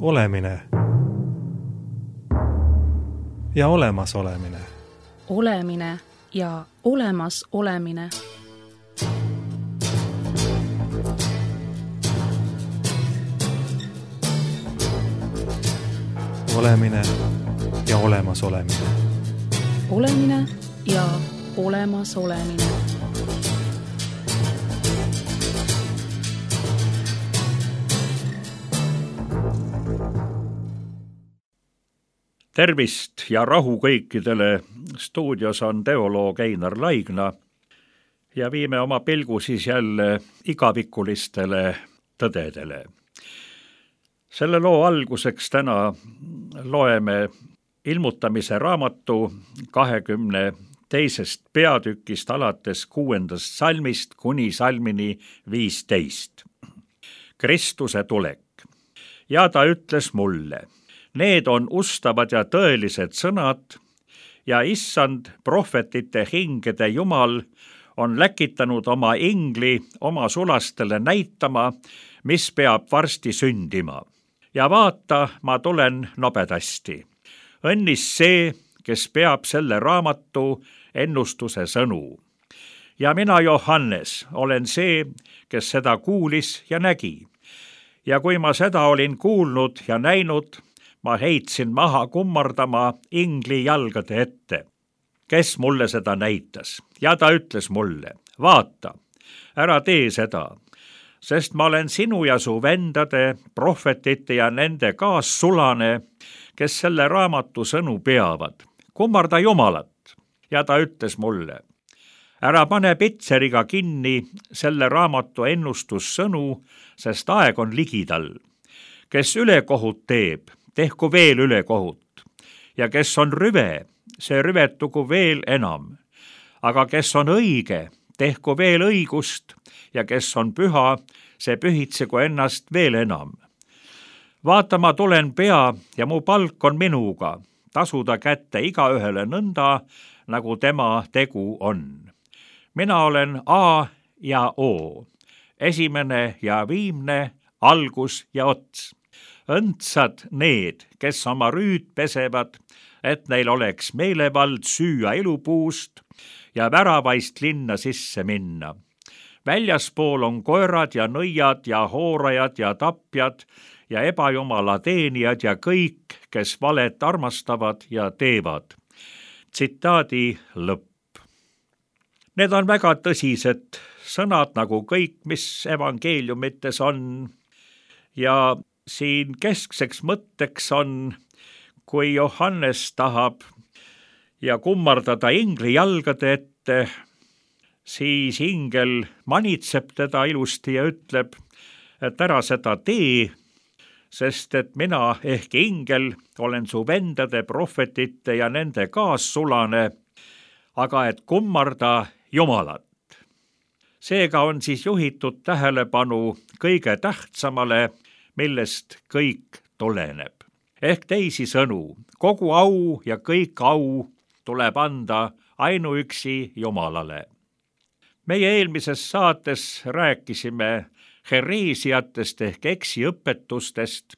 olemine ja olemasolemine. Olemine ja olemasolemine. Olemine ja olemasolemine. Olemine ja olemasolemine. Tervist ja rahu kõikidele. Stuudios on teoloog Einar Laigna ja viime oma pilgu siis jälle igavikulistele tõdedele. Selle loo alguseks täna loeme ilmutamise raamatu 22. peatükist alates 6. salmist kuni salmini 15. Kristuse tulek. Ja ta ütles mulle: need on ustavad ja tõelised sõnad ja issand prohvetite hingede Jumal on läkitanud oma ingli oma sulastele näitama, mis peab varsti sündima. Ja vaata, ma tulen nobedasti. Õnnis see, kes peab selle raamatu ennustuse sõnu. Ja mina, Johannes, olen see, kes seda kuulis ja nägi. Ja kui ma seda olin kuulnud ja näinud, ma heitsin maha kummardama ingli jalgade ette. Kes mulle seda näitas? Ja ta ütles mulle: vaata, ära tee seda, sest ma olen sinu ja su vendade, prohvetite ja nende kaassulane, kes selle raamatu sõnu peavad. Kummarda Jumalat. Ja ta ütles mulle: ära pane pitseriga kinni selle raamatu ennustussõnu, sest aeg on ligidal. Kes ülekohut teeb, tehku veel ülekohut. Ja kes on rüve, see rüvetugu veel enam. Aga kes on õige, tehku veel õigust, ja kes on püha, see pühitsegu ennast veel enam. Vaata, ma tulen pea ja mu palk on minuga, tasuda kätte igaühele nõnda, nagu tema tegu on. Mina olen A ja O, esimene ja viimne, algus ja ots. Õndsad need, kes oma rüüd pesevad, et neil oleks meelevald süüa elupuust ja väravaist linna sisse minna. Väljaspool on koerad ja nõiad ja hoorajad ja tapjad ja ebajumala teenijad ja kõik, kes valet armastavad ja teevad. Tsitaadi lõpp. Need on väga tõsised sõnad, nagu kõik, mis evangeeliumites on. Ja siin keskseks mõtteks on, kui Johannes tahab ja kummardada ingli jalgade ette, siis ingel manitseb teda ilusti ja ütleb, et ära seda tee, sest et mina ehk ingel olen su vendade, prohvetite ja nende kaassulane, aga et kummarda Jumalat. Seega on siis juhitud tähelepanu kõige tähtsamale, millest kõik tuleneb. Ehk teisisõnu, kogu au ja kõik au tuleb anda ainuüksi Jumalale. Meie eelmises saates rääkisime hereesiatest ehk eksiõpetustest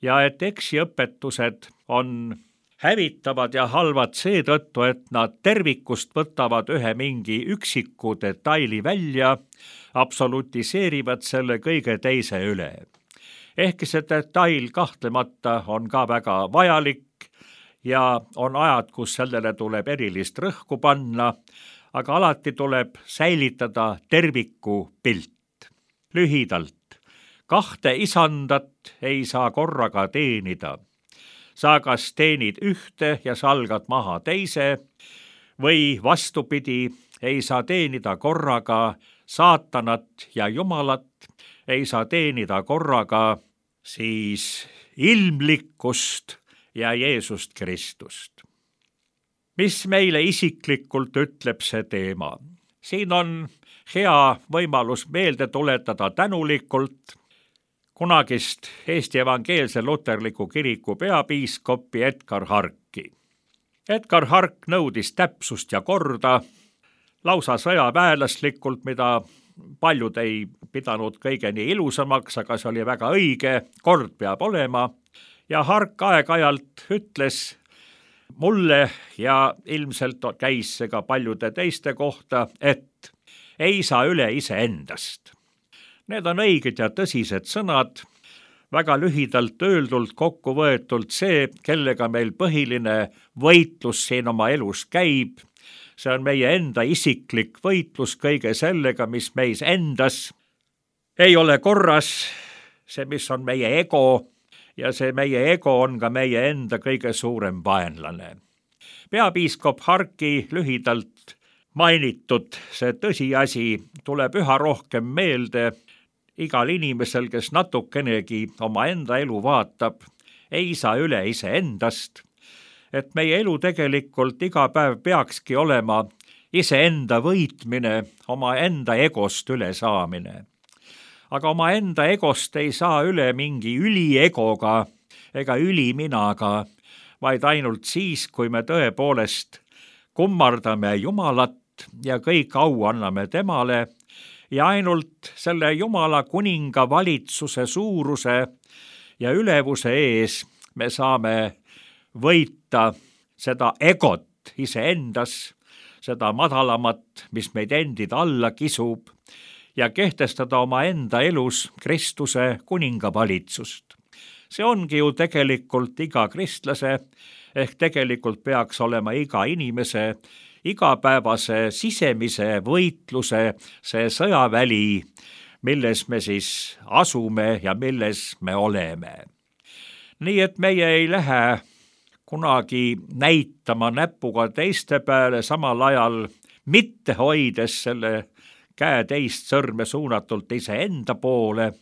ja et eksiõpetused on hävitavad ja halvad seetõttu, et nad tervikust võtavad ühe mingi üksiku detaili välja, absolutiseerivad selle kõige teise üle. Ehkki see detail kahtlemata on ka väga vajalik ja on ajad, kus sellele tuleb erilist rõhku panna, aga alati tuleb säilitada terviku pilt. Lühidalt, kahte isandat ei saa korraga teenida. Sa kas teenid ühte ja salgad maha teise või vastupidi, ei saa teenida korraga saatanat ja Jumalat, ei saa teenida korraga siis ilmlikkust ja Jeesust Kristust. Mis meile isiklikult ütleb see teema? Siin on hea võimalus meelde tuletada tänulikult kunagist Eesti Evangeelse Luterliku Kiriku peapiiskopi Edgar Harki. Edgar Hark nõudis täpsust ja korda, lausa sõjaväelaslikult, mida paljud ei pidanud kõige nii ilusamaks, aga see oli väga õige, kord peab olema. ja Hark aeg-ajalt ütles mulle ja ilmselt käis see ka paljude teiste kohta, et ei saa üle iseendast. Need on õiged ja tõsised sõnad, väga lühidalt öeldult kokku võetult see, kellega meil põhiline võitlus siin oma elus käib. See on meie enda isiklik võitlus kõige sellega, mis meis endas ei ole korras, see, mis on meie ego, ja see meie ego on ka meie enda kõige suurem vaenlane. Peapiiskop Harki lühidalt mainitud see tõsiasi tuleb üha rohkem meelde igal inimesel, kes natukenegi oma enda elu vaatab, ei saa üle iseendast, et meie elu tegelikult iga päev peakski olema iseenda võitmine, oma enda egost üle saamine. Aga oma enda egost ei saa üle mingi üliegoga ega üliminaga, vaid ainult siis, kui me tõepoolest kummardame Jumalat ja kõik au anname temale ja ainult selle Jumala kuninga valitsuse suuruse ja ülevuse ees me saame võita seda egot iseendas, seda madalamat, mis meid endid alla kisub, ja kehtestada oma enda elus Kristuse kuningavalitsust. See ongi ju tegelikult iga kristlase, ehk tegelikult peaks olema iga inimese igapäevase sisemise võitluse see sõjaväli, milles me siis asume ja milles me oleme. Nii et meie ei lähe kunagi näitama näpuga teiste peale, samal ajal mitte hoides selle käe teist sõrme suunatult iseenda poole,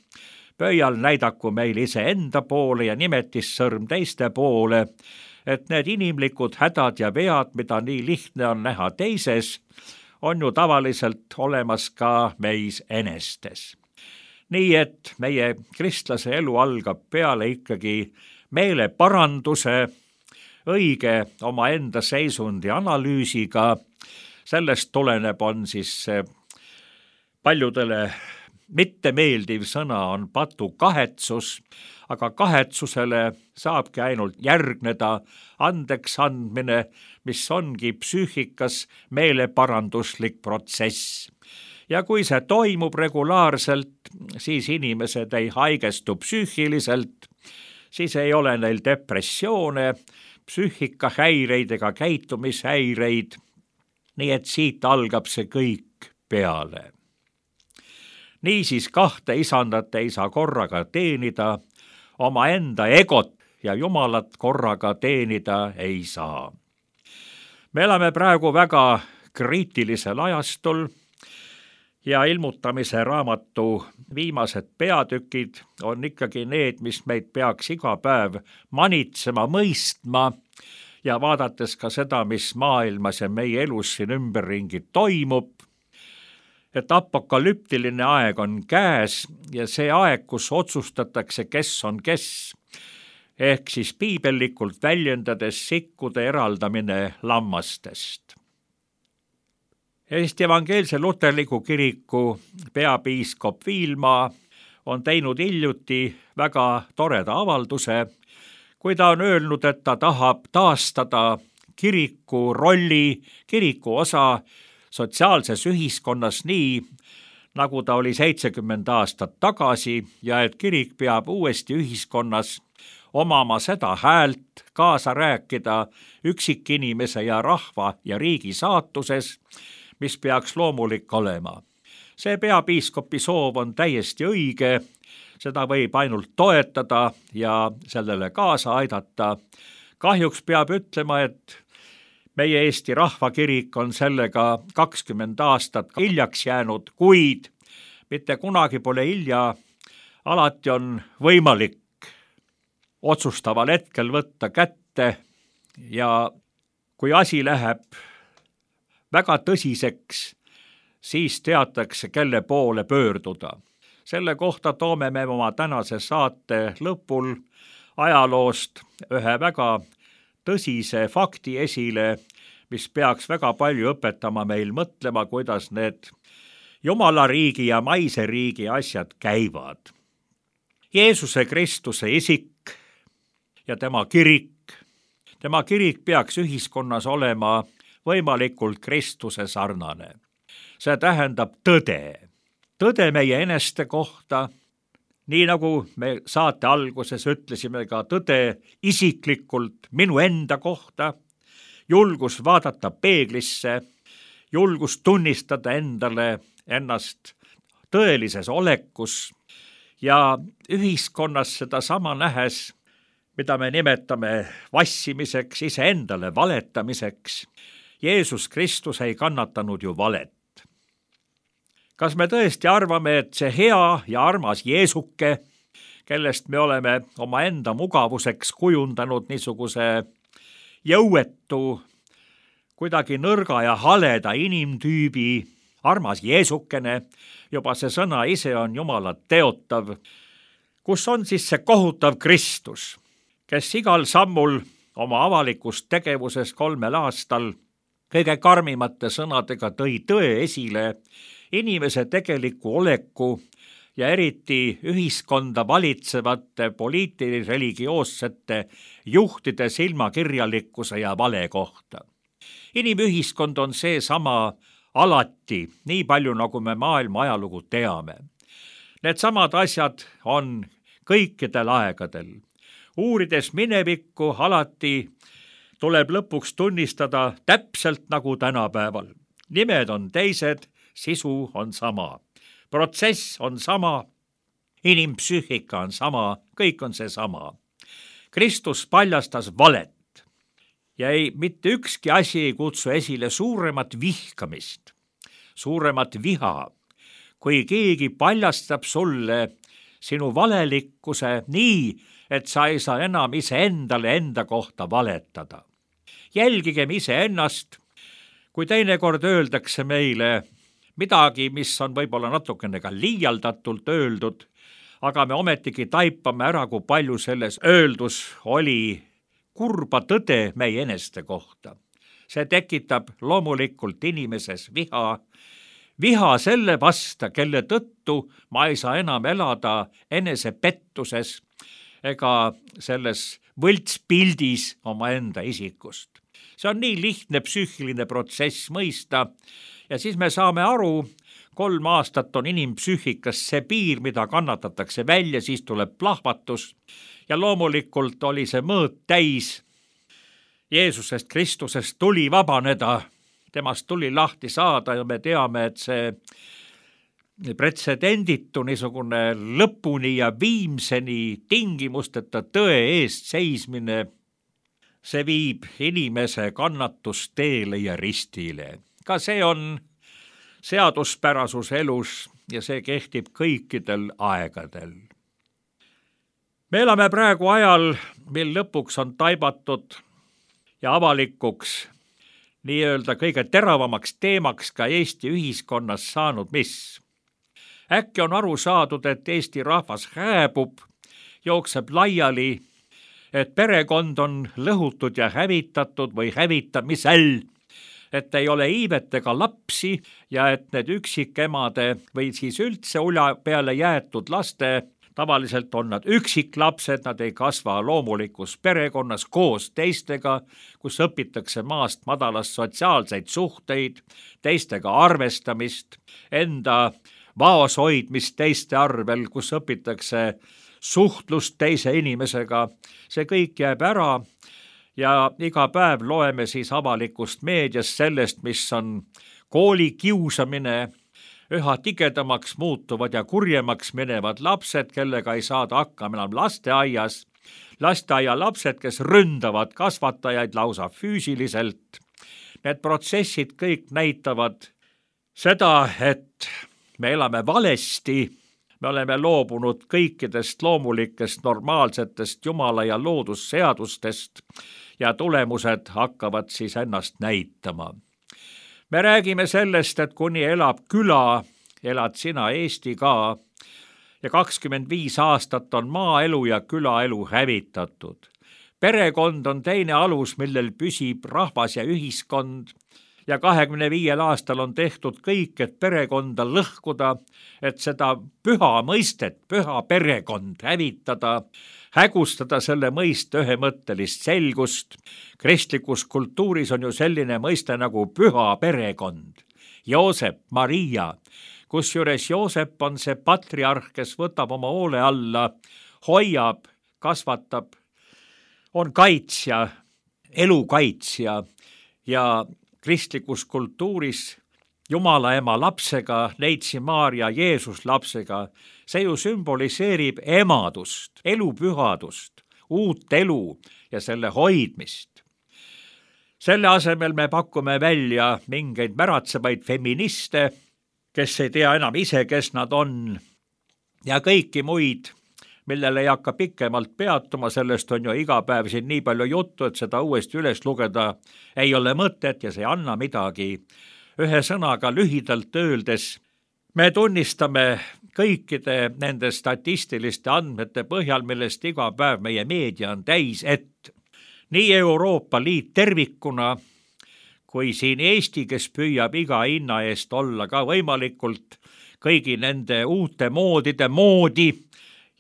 pöial näidaku meil iseenda poole ja nimetissõrm teiste poole, et need inimlikud hädad ja vead, mida nii lihtne on näha teises, on ju tavaliselt olemas ka meis enestes. Nii et meie kristlase elu algab peale ikkagi meeleparanduse, õige omaenda seisundi analüüsiga, sellest tuleneb on siis paljudele mittemeeldiv sõna on patukahetsus, aga kahetsusele saabki ainult järgneda andeks andmine, mis ongi psüühikas meeleparanduslik protsess. Ja kui see toimub regulaarselt, siis inimesed ei haigestu psüühiliselt, siis ei ole neil depressioone, psüühikahäireid ega käitumishäireid, nii et siit algab see kõik peale. Niisiis kahte isandat ei saa korraga teenida, omaenda egot ja Jumalat korraga teenida ei saa. Me elame praegu väga kriitilisel ajastul ja ilmutamise raamatu viimased peatükid on ikkagi need, mis meid peaks iga päev manitsema, mõistma ja vaadates ka seda, mis maailmas ja meie elus siin ümberringi toimub, et apokalüptiline aeg on käes ja see aeg, kus otsustatakse, kes on kes, ehk siis piibellikult väljendades sikkude eraldamine lammastest. Eesti Evangeelse Luterliku Kiriku peapiiskop Viilma on teinud hiljuti väga toreda avalduse, kui ta on öelnud, et ta tahab taastada kiriku rolli, kiriku osa sotsiaalses ühiskonnas nii, nagu ta oli 70 aastat tagasi ja et kirik peab uuesti ühiskonnas omama seda häält, kaasa rääkida üksikinimese ja rahva ja riigi saatuses, mis peaks loomulik olema. See peapiiskopi soov on täiesti õige, seda võib ainult toetada ja sellele kaasa aidata. Kahjuks peab ütlema, et meie Eesti Rahvakirik on sellega 20 aastat hiljaks jäänud, kuid mitte kunagi pole hilja, alati on võimalik otsustaval hetkel võtta kätte ja kui asi läheb väga tõsiseks, siis teatakse, kelle poole pöörduda. Selle kohta toome me oma tänase saate lõpul ajaloost ühe väga tõsise fakti esile, mis peaks väga palju õpetama meil mõtlema, kuidas need Jumala riigi ja maise riigi asjad käivad. Jeesuse Kristuse isik ja tema kirik. Tema kirik peaks ühiskonnas olema võimalikult Kristuse sarnane. See tähendab tõde. Tõde meie eneste kohta, nii nagu me saate alguses ütlesime ka tõde isiklikult minu enda kohta, julgus vaadata peeglisse, julgus tunnistada endale ennast tõelises olekus ja ühiskonnas seda sama nähes, mida me nimetame vassimiseks, iseendale valetamiseks. Jeesus Kristus ei kannatanud ju valet. Kas me tõesti arvame, et see hea ja armas Jeesuke, kellest me oleme omaenda mugavuseks kujundanud niisuguse jõuetu, kuidagi nõrga ja haleda inimtüübi, armas Jeesukene, juba see sõna ise on Jumalat teotav, kus on siis see kohutav Kristus, kes igal sammul oma avalikus tegevuses 3 aastal kõige karmimate sõnadega tõi tõe esile inimese tegeliku oleku ja eriti ühiskonda valitsevate poliitilis-religioossete juhtide silmakirjalikkuse ja vale kohta. Inimühiskond on seesama alati, nii palju nagu me maailma ajalugu teame. Need samad asjad on kõikidel aegadel. Uurides minevikku alati tuleb lõpuks tunnistada täpselt nagu tänapäeval. Nimed on teised, sisu on sama. Protsess on sama, inimpsüühika on sama, kõik on see sama. Kristus paljastas valet ja mitte ükski asi ei kutsu esile suuremat vihkamist, suuremat viha, kui keegi paljastab sulle sinu valelikkuse nii, et sa ei saa enam iseendale enda kohta valetada. Jälgigem iseennast, kui teinekord öeldakse meile midagi, mis on võib-olla natukene ka liialdatult öeldud, aga me ometigi taipame ära, kui palju selles öeldus oli kurba tõde meie eneste kohta. See tekitab loomulikult inimeses viha selle vasta, kelle tõttu ma ei saa enam elada enesepettuses ega selles võltspildis omaenda isikust. See on nii lihtne psüühiline protsess mõista ja siis me saame aru, 3 aastat on inimpsüühikas see piir, mida kannatatakse välja, siis tuleb plahvatus ja loomulikult oli see mõõt täis. Jeesusest Kristusest tuli vabaneda, temast tuli lahti saada ja me teame, et see pretsedenditu niisugune lõpuni ja viimseni tingimusteta tõe eest seismine, see viib inimese kannatusteele ja ristile. Ka see on seaduspärasus elus ja see kehtib kõikidel aegadel. Me elame praegu ajal, mil lõpuks on taibatud ja avalikuks nii-öelda kõige teravamaks teemaks ka Eesti ühiskonnas saanud mis. Äkki on aru saadud, et Eesti rahvas hääbub, jookseb laiali, et perekond on lõhutud ja hävitatud või hävitamisel, et ei ole iivet ega lapsi ja et need üksikemade või siis üldse ulja peale jäetud laste, tavaliselt on nad üksiklapsed, nad ei kasva loomulikus perekonnas koos teistega, kus õpitakse maast madalast sotsiaalseid suhteid, teistega arvestamist, enda vaos hoidmist teiste arvel, kus õpitakse suhtlust teise inimesega. See kõik jääb ära ja iga päev loeme siis avalikust meediast sellest, mis on koolikiusamine, üha tigedamaks muutuvad ja kurjemaks minevad lapsed, kellega ei saada hakkama enam lasteaias, lasteaialapsed, kes ründavad kasvatajaid lausa füüsiliselt. Need protsessid kõik näitavad seda, et me elame valesti, me oleme loobunud kõikidest loomulikest normaalsetest Jumala ja loodusseadustest ja tulemused hakkavad siis ennast näitama. Me räägime sellest, et kuni elab küla, elad sina Eesti ka ja 25 aastat on maaelu ja külaelu hävitatud. Perekond on teine alus, millel püsib rahvas ja ühiskond ja 25 aastal on tehtud kõik, et perekonda lõhkuda, et seda püha mõistet, püha perekond hävitada, hägustada selle mõiste ühemõttelist selgust. Kristlikus kultuuris on ju selline mõiste nagu püha perekond. Joosep, Maria, kusjuures Joosep on see patriarh, kes võtab oma hoole alla, hoiab, kasvatab, on kaitsja, elu kaitsja ja kristlikus kultuuris Jumala ema lapsega, Neitsi Maarja Jeesus lapsega, see ju sümboliseerib emadust, elupühadust, uut elu ja selle hoidmist. Selle asemel me pakume välja mingeid märatsevaid feministe, kes ei tea enam ise, kes nad on, ja kõiki muid, millele ei hakka pikemalt peatuma, sellest on ju iga päev siin nii palju juttu, et seda uuesti üles lugeda ei ole mõtet ja see ei anna midagi. Ühe sõnaga lühidalt öeldes, me tunnistame kõikide nende statistiliste andmete põhjal, millest iga päev meie meedia on täis, et nii Euroopa Liit tervikuna kui siin Eesti, kes püüab iga hinna eest olla ka võimalikult kõigi nende uute moodide moodi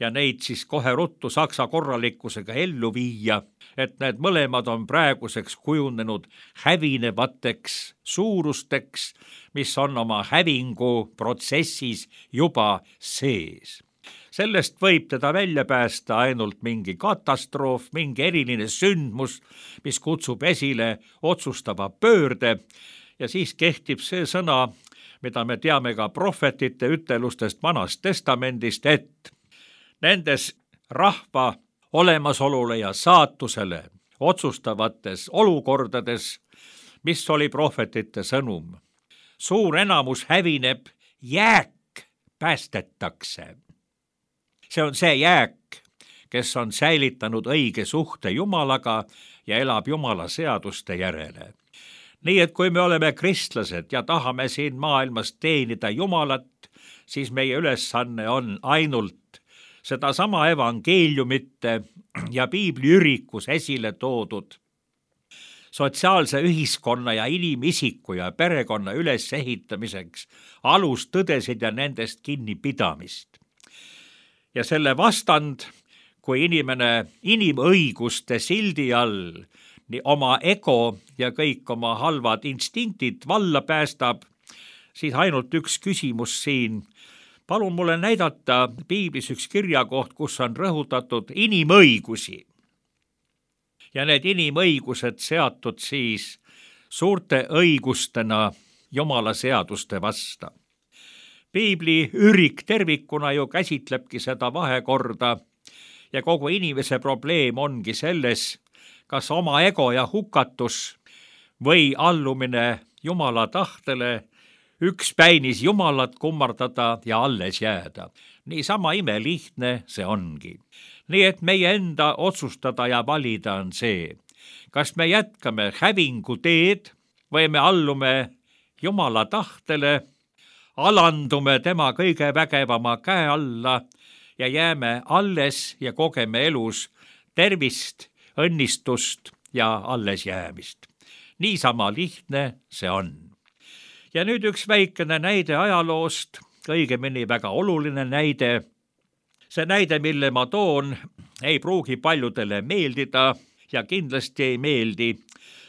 ja neid siis kohe ruttu saksa korralikkusega ellu viia, et need mõlemad on praeguseks kujunenud hävinevateks suurusteks, mis on oma hävingu protsessis juba sees. Sellest võib teda välja päästa ainult mingi katastroof, mingi eriline sündmus, mis kutsub esile otsustava pöörde ja siis kehtib see sõna, mida me teame ka prohvetite ütelustest Vanast Testamendist, et nendes rahva olemasolule ja saatusele otsustavates olukordades, mis oli prohvetite sõnum. Suur enamus hävineb, jääk päästetakse. See on see jääk, kes on säilitanud õige suhte Jumalaga ja elab Jumala seaduste järele. Nii et kui me oleme kristlased ja tahame siin maailmas teenida Jumalat, siis meie ülesanne on ainult sedasama evangeeliumite ja piibli ürikus esile toodud sotsiaalse ühiskonna ja inimisiku ja perekonna ülesehitamiseks alustõdesid ja nendest kinnipidamist. Ja selle vastand, kui inimene inimõiguste sildi all nii oma ego ja kõik oma halvad instinktid valla päästab, siis ainult üks küsimus siin. Palun mulle näidata piiblis üks kirjakoht, kus on rõhutatud inimõigusi. Ja need inimõigused seatud siis suurte õigustena Jumala seaduste vasta. Piibli ürik tervikuna ju käsitlebki seda vahekorda ja kogu inimese probleem ongi selles, kas oma ego ja hukatus või allumine Jumala tahtele, ükspäinis Jumalat kummardada ja alles jääda. Niisama imelihtne see ongi. Nii et meie enda otsustada ja valida on see, kas me jätkame hävingu teed või me allume Jumala tahtele, alandume tema kõige vägevama käe alla ja jääme alles ja kogeme elus tervist, õnnistust ja alles jäämist. Niisama lihtne see on. Ja nüüd üks väikene näide ajaloost, õigemini väga oluline näide. See näide, mille ma toon, ei pruugi paljudele meeldida ja kindlasti ei meeldi,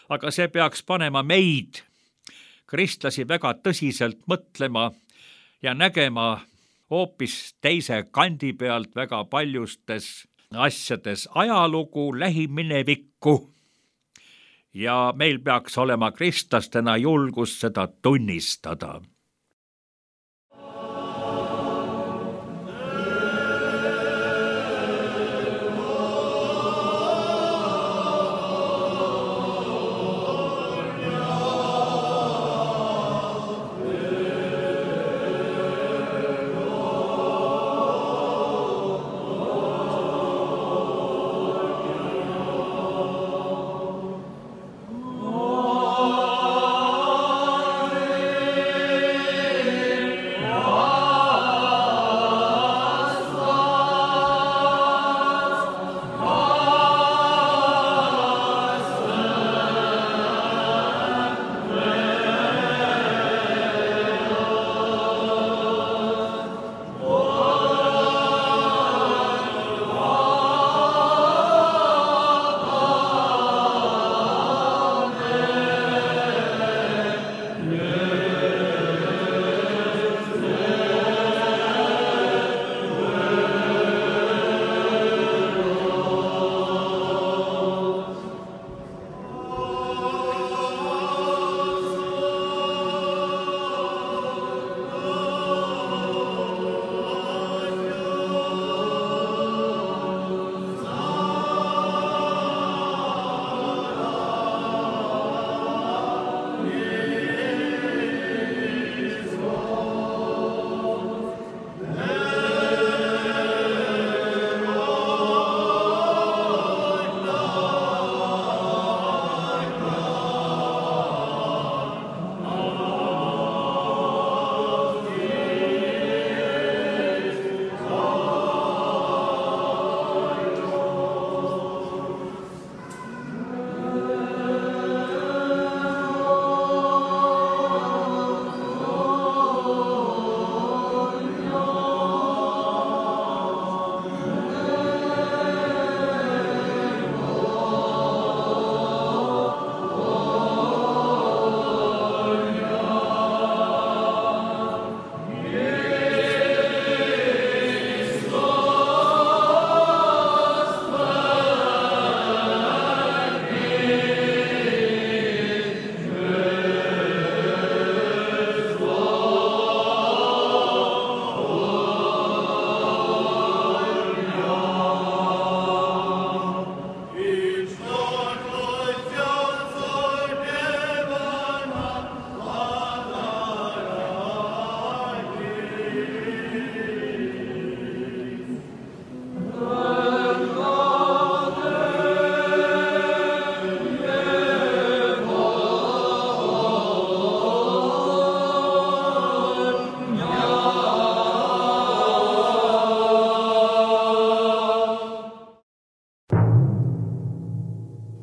aga see peaks panema meid, kristlasi, väga tõsiselt mõtlema ja nägema hoopis teise kandi pealt väga paljustes asjades ajalugu, lähiminevikku. Ja meil peaks olema kristlastena julgus seda tunnistada.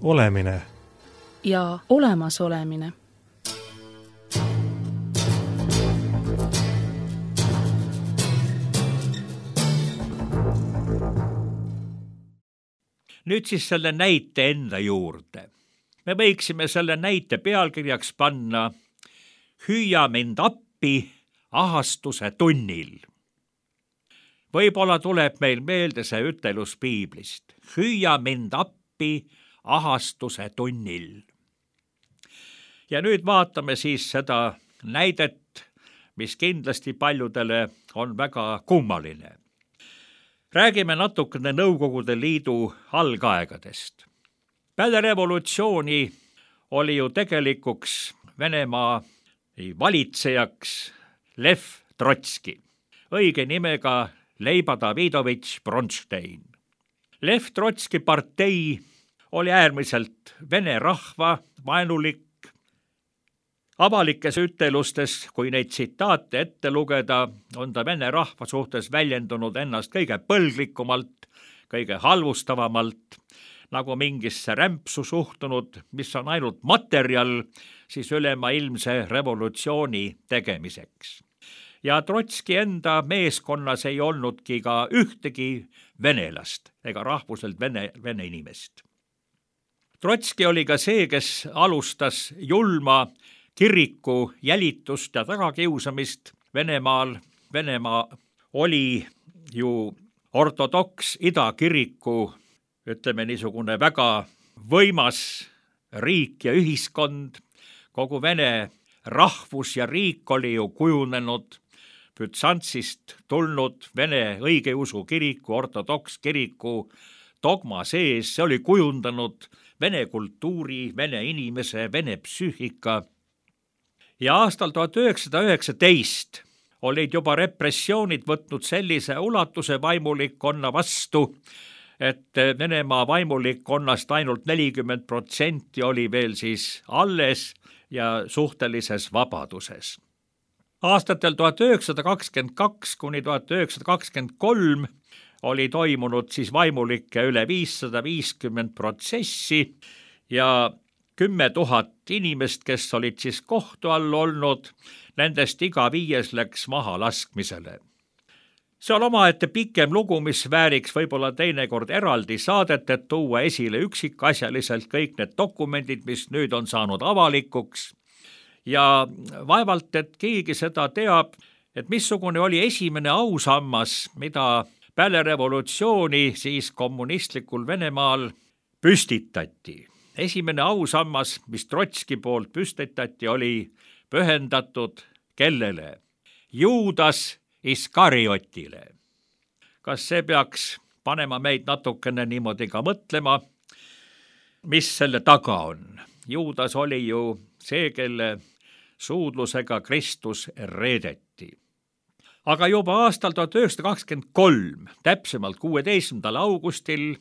olemine ja olemasolemine. Nüüd siis selle näite enda juurde. Me võiksime selle näite pealkirjaks panna Hüüa mind appi ahastuse tunnil. Võib-olla tuleb meil meelde see ütelus piiblist. Hüüa mind appi ahastuse tunnil. Ja nüüd vaatame siis seda näidet, mis kindlasti paljudele on väga kummaline. Räägime natukene Nõukogude Liidu algaegadest. Peale revolutsiooni oli ju tegelikuks Venemaa valitsejaks Lev Trotski, õige nimega Leiba Davidovitš Bronstein. Lev Trotski partei oli äärmiselt vene rahva vaenulik. Avalikes ütelustes, kui neid tsitaate ette lugeda, on ta vene rahva suhtes väljendunud ennast kõige põlglikumalt, kõige halvustavamalt, nagu mingisse rämpsu suhtunud, mis on ainult materjal siis ülemaailmse revolutsiooni tegemiseks. Ja Trotski enda meeskonnas ei olnudki ka ühtegi venelast ega rahvuselt vene inimest. Trotski oli ka see, kes alustas julma kiriku jälitust ja tagakiusamist Venemaal. Venemaa oli ju ortodoks idakiriku, ütleme niisugune väga võimas riik ja ühiskond. Kogu vene rahvus ja riik oli ju kujunenud Bütsantsist tulnud vene õigeusu kiriku, ortodoks kiriku dogma sees. See oli kujundanud vene kultuuri, vene inimese, vene psüühika. Ja aastal 1919 olid juba repressioonid võtnud sellise ulatuse vaimulikkonna vastu, et Venemaa vaimulikkonnast ainult 40% oli veel siis alles ja suhtelises vabaduses. Aastatel 1922 kuni 1923 oli toimunud siis vaimulike üle 550 protsessi ja 10 000 inimest, kes olid siis kohtu all olnud, nendest iga 5 läks maha laskmisele. See on omaette pikem lugu, mis vääriks võib-olla teinekord eraldi saadet, et tuua esile üksikasjaliselt kõik need dokumendid, mis nüüd on saanud avalikuks. Ja vaevalt, et keegi seda teab, et missugune oli esimene ausammas, mida peale revolutsiooni siis kommunistlikul Venemaal püstitati. Esimene ausammas, mis Trotski poolt püstitati, oli pühendatud kellele? Juudas Iskariotile. Kas see peaks panema meid natukene niimoodi ka mõtlema, mis selle taga on? Juudas oli ju see, kelle suudlusega Kristus reedeti. Aga juba aastal 1923, täpsemalt 16. augustil,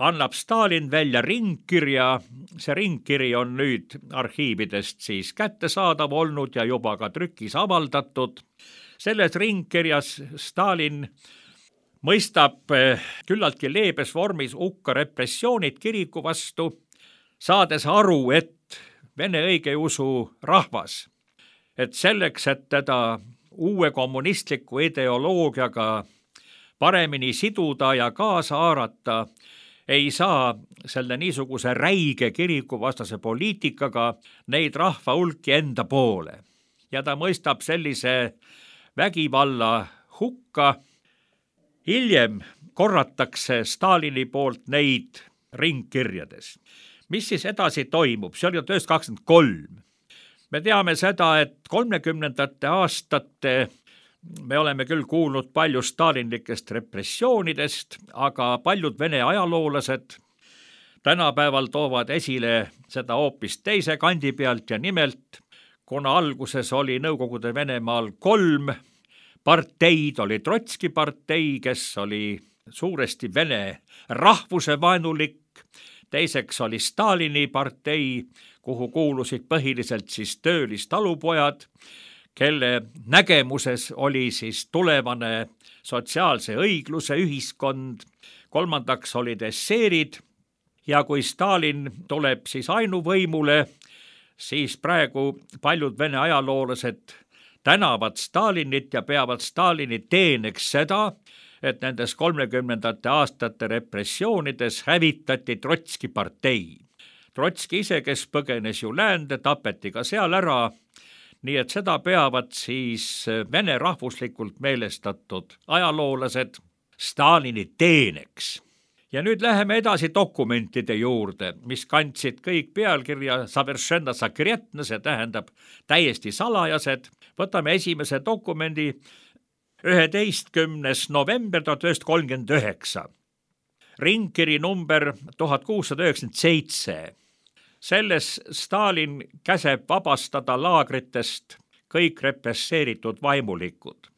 annab Stalin välja ringkirja. See ringkiri on nüüd arhiividest siis kättesaadav olnud ja juba ka trükis avaldatud. Selles ringkirjas Stalin mõistab küllaltki leebes vormis hukka repressioonid kiriku vastu, saades aru, et vene õigeusu rahvas, et selleks, et teda uue kommunistliku ideoloogiaga paremini siduda ja kaasa haarata, ei saa selle niisuguse räige kirikuvastase poliitikaga neid rahva hulki enda poole. Ja ta mõistab sellise vägivalla hukka. Hiljem korratakse Stalini poolt neid ringkirjades. Mis siis edasi toimub? See oli 1923. Me teame seda, et 30. aastate me oleme küll kuulnud palju stalinlikest repressioonidest, aga paljud vene ajaloolased tänapäeval toovad esile seda hoopis teise kandi pealt ja nimelt, kuna alguses oli Nõukogude Venemaal 3 parteid, oli Trotski partei, kes oli suuresti vene rahvuse vaenulik, teiseks oli Stalini partei, kuhu kuulusid põhiliselt siis töölistalupojad, kelle nägemuses oli siis tulevane sotsiaalse õigluse ühiskond, kolmandaks olid esseerid ja kui Stalin tuleb siis ainuvõimule, siis praegu paljud Vene ajaloolased tänavad Stalinit ja peavad Stalini teeneks seda, et nendes 30. aastate repressioonides hävitati Trotski partei. Trotski ise, kes põgenes ju läände, tapeti ka seal ära, nii et seda peavad siis Vene rahvuslikult meelestatud ajaloolased Stalini teeneks. Ja nüüd läheme edasi dokumentide juurde, mis kandsid kõik pealkirja Soveršenna sekretne, see tähendab täiesti salajased. Võtame esimese dokumendi 11. november 1939. Ringkiri number 1697. Selles Stalin käseb vabastada laagritest kõik represseeritud vaimulikud.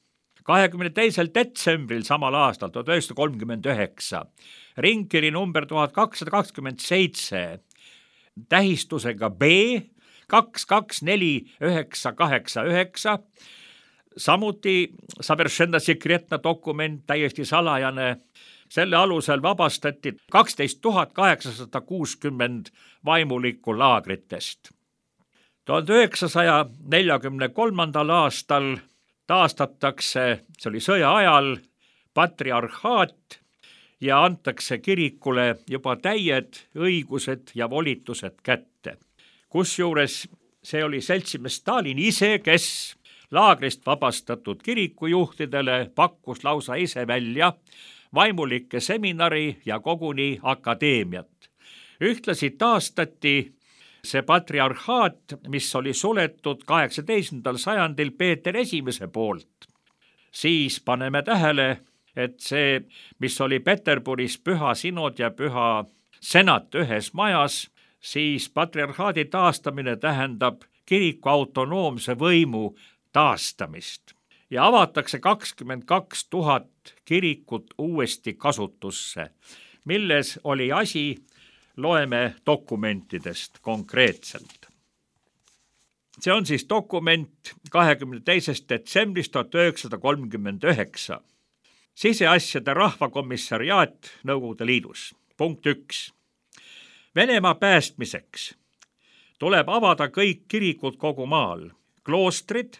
22. detsembril samal aastal 1939 ringkiri number 1227 tähistusega B 224989, samuti Soveršenna sekretne dokument, täiesti salajane. Selle alusel vabastati 12 860 vaimulikku laagritest. 1943. aastal taastatakse, see oli sõja ajal, patriarhaat ja antakse kirikule juba täied õigused ja volitused kätte. Kusjuures see oli seltsimees Stalin ise, kes laagrist vabastatud kirikujuhtidele pakkus lausa ise välja vaimulike seminari ja koguni akadeemiat. Ühtlasi taastati see patriarhaat, mis oli suletud 18. sajandil Peeter I poolt. Siis paneme tähele, et see, mis oli Peterburis püha sinod ja püha senat ühes majas, siis patriarhaadi taastamine tähendab kiriku autonoomse võimu taastamist ja avatakse 22 000 kirikut uuesti kasutusse. Milles oli asi, loeme dokumentidest konkreetselt. See on siis dokument 22. detsembrist 1939. Siseasjade rahvakomissariaat Nõukogude Liidus. Punkt 1. Venemaa päästmiseks tuleb avada kõik kirikud kogu maal, kloostrid,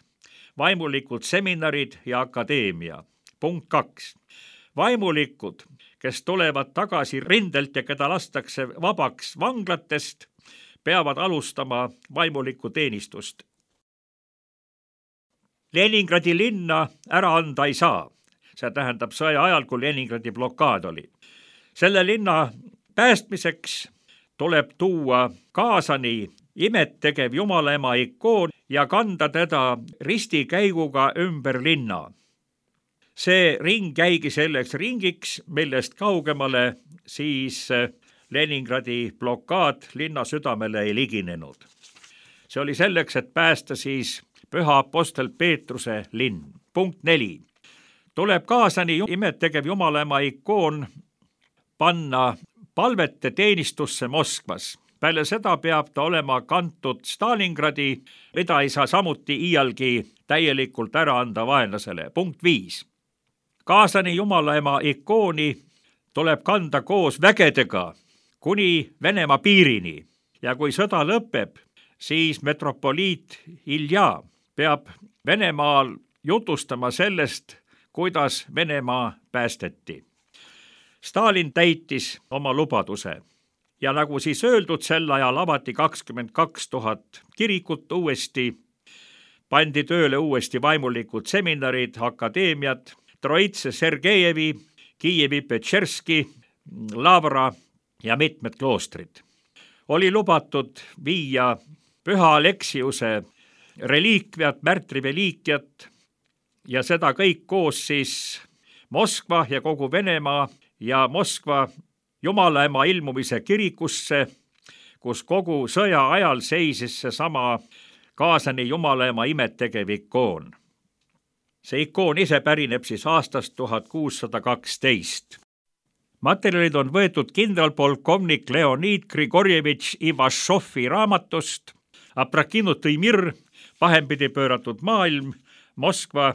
vaimulikud seminarid ja akadeemia. Punkt 2. Vaimulikud, kes tulevad tagasi rindelt ja keda lastakse vabaks vanglatest, peavad alustama vaimulikku teenistust. Leningradi linna ära anda ei saa. See tähendab sõja ajal, kui Leningradi blokaad oli. Selle linna päästmiseks tuleb tuua kaasani imettegev Jumalaema ikoon ja kanda teda ristikäiguga ümber linna. See ring jäigi selleks ringiks, millest kaugemale siis Leningradi blokaad linna südamele ei liginenud. See oli selleks, et päästa siis püha apostel Peetruse linn. Punkt 4. Tuleb kaasani imettegev Jumalaema ikoon panna palvete teenistusse Moskvas. Peale seda peab ta olema kantud Stalingradi, mida ei saa samuti iialgi täielikult ära anda vaenlasele. Punkt 5. Kaasani Jumalaema ikooni tuleb kanda koos vägedega kuni Venemaa piirini ja kui sõda lõpeb, siis metropoliit Ilja peab Venemaal jutustama sellest, kuidas Venemaa päästeti. Stalin täitis oma lubaduse ja nagu siis öeldud, sel ajal avati 22 000 kirikut uuesti, pandi tööle uuesti vaimulikud seminarid, akadeemiad, Troitse Sergejevi, Kiievi Petšerski, Lavra ja mitmed kloostrid. Oli lubatud viia püha Aleksiuse reliikviat, märtriveliikiat ja seda kõik koos siis Moskva ja kogu Venemaa ja Moskva Jumalaema ilmumise kirikusse, kus kogu sõja ajal seisis seesama kaasani Jumalaema imettegev ikoon. See ikoon ise pärineb siis aastast 1612. Materjalid on võetud kindralpolkovnik Leonid Grigorjevitš Ivašovi raamatust Aprakinutõi mir, pahempidi pööratud maailm, Moskva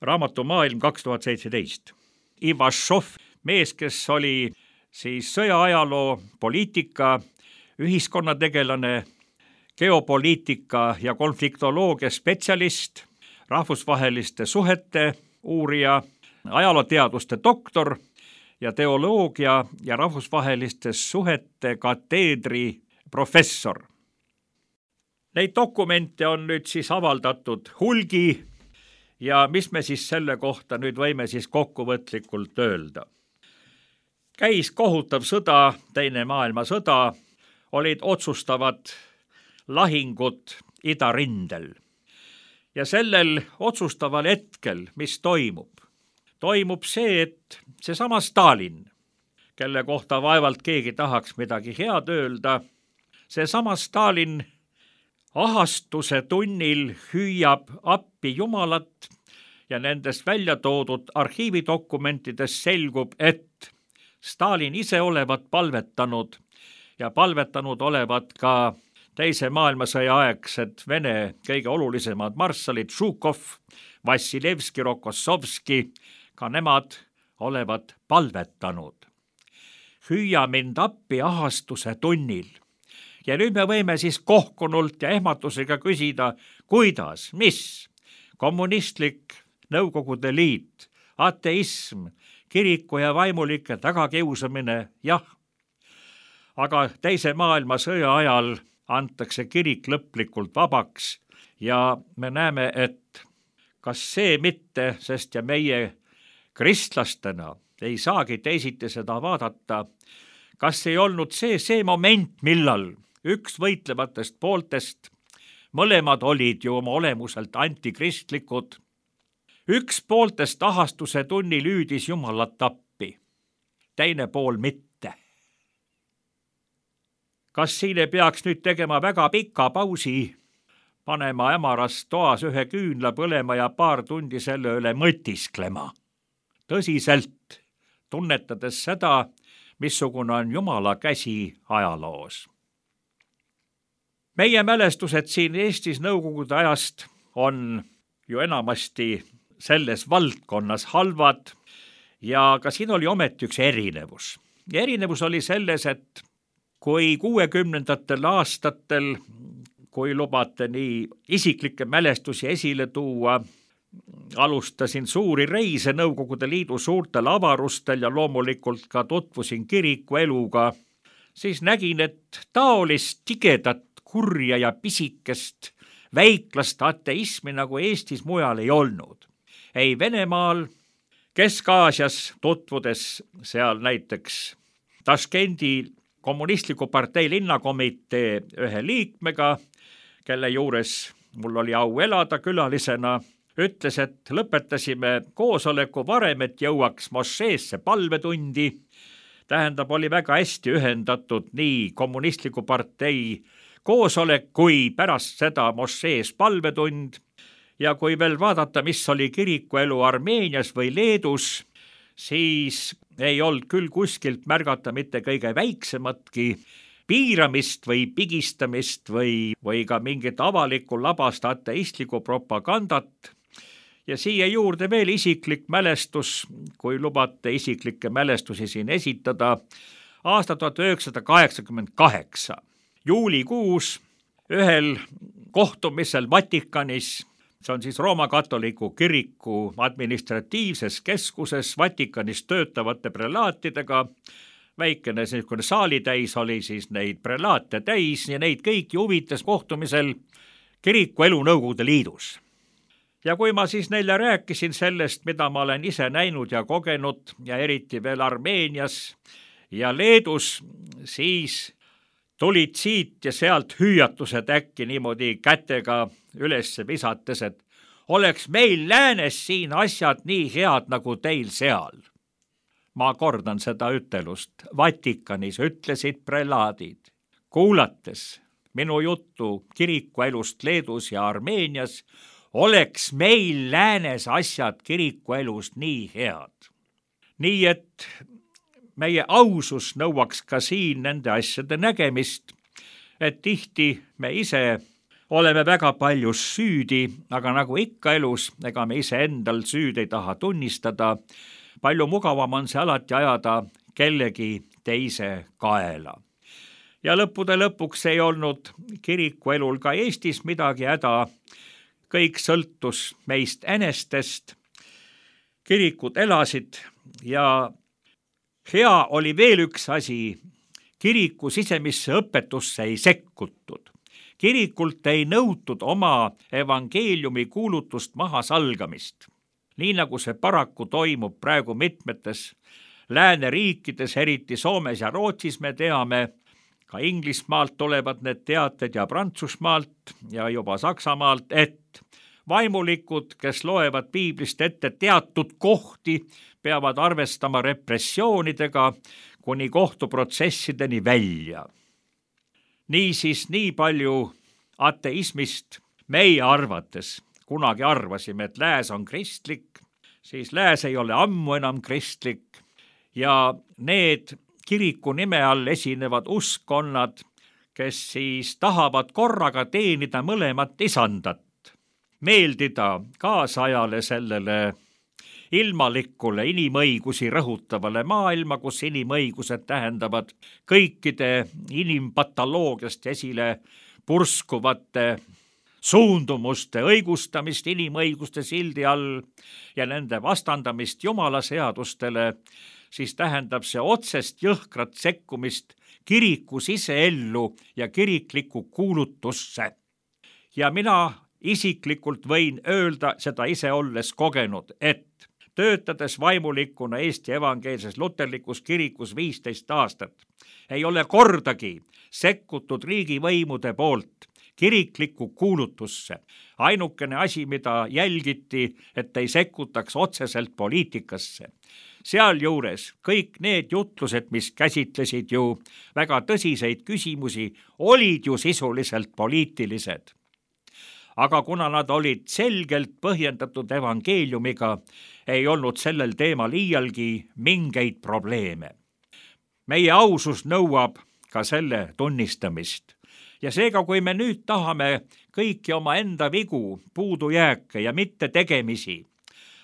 raamatumaailm 2017. Ivašov, mees, kes oli siis sõjaajaloo, poliitika, ühiskonnategelane, geopoliitika ja konfliktoloogia spetsialist, rahvusvaheliste suhete uurija, ajalooteaduste doktor ja teoloogia ja rahvusvaheliste suhete kateedri professor. Neid dokumente on nüüd siis avaldatud hulgi ja mis me siis selle kohta nüüd võime siis kokkuvõtlikult öelda? Käis kohutav sõda, Teine maailmasõda, olid otsustavad lahingud idarindel. Ja sellel otsustaval hetkel, mis toimub? Toimub see, et seesama Stalin, kelle kohta vaevalt keegi tahaks midagi head öelda, seesama Stalin ahastuse tunnil hüüab appi Jumalat ja nendest välja toodud arhiividokumentidest selgub, et Stalin ise olevat palvetanud ja palvetanud olevat ka Teise maailmasõja aegsed Vene kõige olulisemad marssalid Žukov, Vassilevski, Rokossovski, ka nemad olevat palvetanud. Hüüa mind appi ahastuse tunnil. Ja nüüd me võime siis kohkunult ja ehmatusega küsida, kuidas, mis? Kommunistlik Nõukogude Liit, ateism, kiriku ja vaimulike tagakiusamine, jah. Aga Teise maailmasõja ajal antakse kirik lõplikult vabaks ja me näeme, et kas see mitte, sest ja meie kristlastena ei saagi teisiti seda vaadata, kas ei olnud see moment, millal üks võitlevatest pooltest, mõlemad olid ju oma olemuselt antikristlikud, üks pooltest ahastuse tunnil hüüdis Jumalat appi, teine pool mitte. Kas siin ei peaks nüüd tegema väga pika pausi, panema ämaras toas ühe küünla põlema ja paar tundi selle üle mõtisklema? Tõsiselt, tunnetades seda, missugune on Jumala käsi ajaloos. Meie mälestused siin Eestis Nõukogude ajast on ju enamasti selles valdkonnas halvad ja ka siin oli ometi üks erinevus. Ja erinevus oli selles, et kui 60. aastatel, kui lubate nii isiklikke mälestusi esile tuua, alustasin suuri reise Nõukogude Liidu suurtel avarustel ja loomulikult ka tutvusin kiriku eluga, siis nägin, et taolist tigedat, kurja ja pisikest väiklast ateismi nagu Eestis mujal ei olnud. Ei Venemaal, Kesk-Aasias tutvudes seal näiteks Taškendi kommunistliku partei linnakomitee ühe liikmega, kelle juures mul oli au elada külalisena, ütles, et lõpetasime koosoleku varem, et jõuaks mošeesse palvetundi. Tähendab, oli väga hästi ühendatud nii kommunistliku partei koosolek kui pärast seda mošees palvetund. Ja kui veel vaadata, mis oli kirikuelu Armeenias või Leedus, siis ei olnud küll kuskilt märgata mitte kõige väiksematki piiramist või pigistamist või ka mingit avalikku labast ateistlikku propagandat. Ja siia juurde veel isiklik mälestus, kui lubate isiklikke mälestusi siin esitada, aasta 1988. Juulikuus ühel kohtumisel Vatikanis, see on siis Rooma katoliku kiriku administratiivses keskuses Vatikanis töötavate prelaatidega, väikene selline saalitäis oli siis neid prelaate täis ja neid kõiki huvitas kohtumisel kiriku elu Nõukogude Liidus. Ja kui ma siis neile rääkisin sellest, mida ma olen ise näinud ja kogenud ja eriti veel Armeenias ja Leedus, siis tulid siit ja sealt hüüatused äkki niimoodi kätega üles visates, et oleks meil läänes siin asjad nii head nagu teil seal. Ma kordan seda ütelust. Vatikanis ütlesid prelaadid, kuulates minu juttu kirikuelust Leedus ja Armeenias, oleks meil läänes asjad kirikuelust nii head. Nii et meie ausus nõuaks ka siin nende asjade nägemist, et tihti me ise oleme väga palju süüdi, aga nagu ikka elus, ega me ise endal süüd ei taha tunnistada. Palju mugavam on see alati ajada kellegi teise kaela. Ja lõppude lõpuks ei olnud kiriku elul ka Eestis midagi häda, kõik sõltus meist enestest, kirikud elasid ja hea oli veel üks asi, kiriku sisemisse õpetusse ei sekkutud. Kirikult ei nõutud oma evangeeliumi kuulutust mahasalgamist, nii nagu see paraku toimub praegu mitmetes lääneriikides, eriti Soomes ja Rootsis me teame, ka Inglismaalt tulevad need teated ja Prantsusmaalt ja juba Saksamaalt, et vaimulikud, kes loevad piiblist ette teatud kohti, peavad arvestama repressioonidega kuni kohtuprotsessideni välja. Niisiis, nii palju ateismist meie arvates, kunagi arvasime, et lääs on kristlik, siis lääs ei ole ammu enam kristlik ja need kiriku nime all esinevad uskkonnad, kes siis tahavad korraga teenida mõlemat isandat, meeldida kaasajale sellele ilmalikule inimõigusi rõhutavale maailma, kus inimõigused tähendavad kõikide inimpatoloogiast esile purskuvate suundumuste õigustamist inimõiguste sildi all ja nende vastandamist Jumala seadustele, siis tähendab see otsest jõhkrat sekkumist kiriku siseellu ja kiriklikku kuulutusse. Ja mina isiklikult võin öelda, seda ise olles kogenud, et töötades vaimulikuna Eesti evangeelses luterlikus kirikus 15 aastat, ei ole kordagi sekkutud riigivõimude poolt kiriklikku kuulutusse. Ainukene asi, mida jälgiti, et ei sekkutaks otseselt poliitikasse. Sealjuures kõik need jutlused, mis käsitlesid ju väga tõsiseid küsimusi, olid ju sisuliselt poliitilised. Aga kuna nad olid selgelt põhjendatud evangeeliumiga, ei olnud sellel teemal iialgi mingeid probleeme. Meie ausus nõuab ka selle tunnistamist. Ja seega, kui me nüüd tahame kõiki oma enda vigu, puudujääke ja mitte tegemisi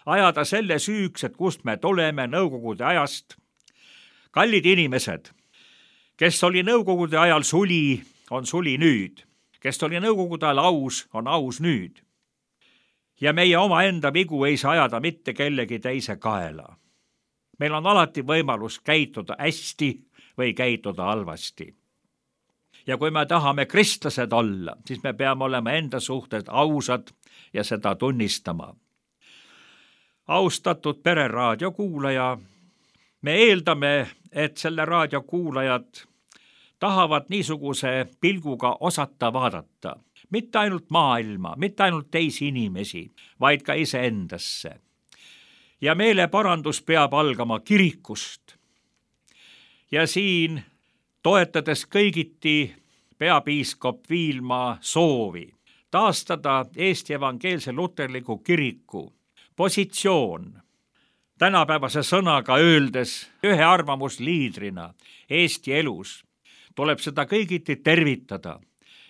ajada selle süüks, et kust me tuleme Nõukogude ajast, kallid inimesed, kes oli Nõukogude ajal suli, on suli nüüd. Kes oli Nõukogude ajal aus, on aus nüüd. Ja meie oma enda vigu ei saa ajada mitte kellegi teise kaela. Meil on alati võimalus käituda hästi või käituda halvasti. Ja kui me tahame kristlased olla, siis me peame olema enda suhted ausad ja seda tunnistama. Austatud Pereraadio kuulaja, me eeldame, et selle raadio kuulajad tahavad niisuguse pilguga osata vaadata. Mitte ainult maailma, mitte ainult teisi inimesi, vaid ka iseendasse. Ja meeleparandus peab algama kirikust. Ja siin, toetades kõigiti peapiiskop Viilma soovi taastada Eesti evangeelse luterliku kiriku positsioon, tänapäevase sõnaga öeldes ühe arvamusliidrina Eesti elus, tuleb seda kõigiti tervitada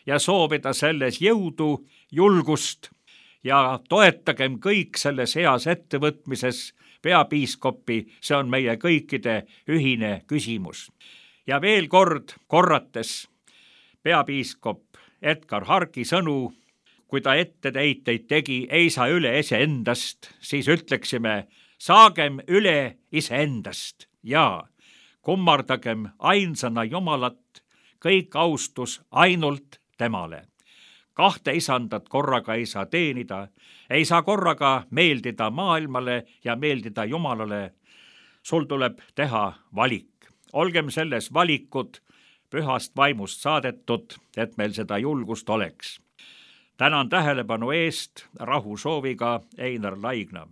ja soovida selles jõudu, julgust ja toetagem kõik selles heas ettevõtmises peapiiskopi, see on meie kõikide ühine küsimus. Ja veel kord korrates peapiiskop Edgar Harki sõnu, kui ta etteheiteid tegi, ei saa üle iseendast, siis ütleksime, saagem üle iseendast ja kummardagem ainsana Jumalat, kõik austus ainult temale. Kahte isandat korraga ei saa teenida, ei saa korraga meeldida maailmale ja meeldida Jumalale. Sul tuleb teha valik. Olgem selles valikud pühast vaimust saadetud, et meil seda julgust oleks. Tänan tähelepanu eest, rahu sooviga Einar Laigna.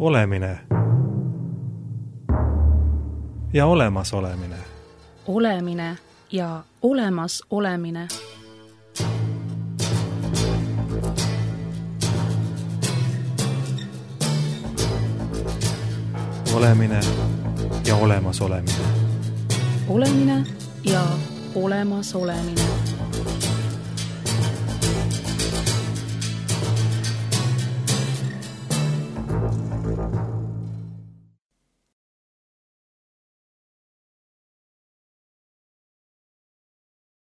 olemine ja olemasolemine. Olemine ja olemas olemine. Olemine ja olemasolemine. Olemine ja olemas olemine.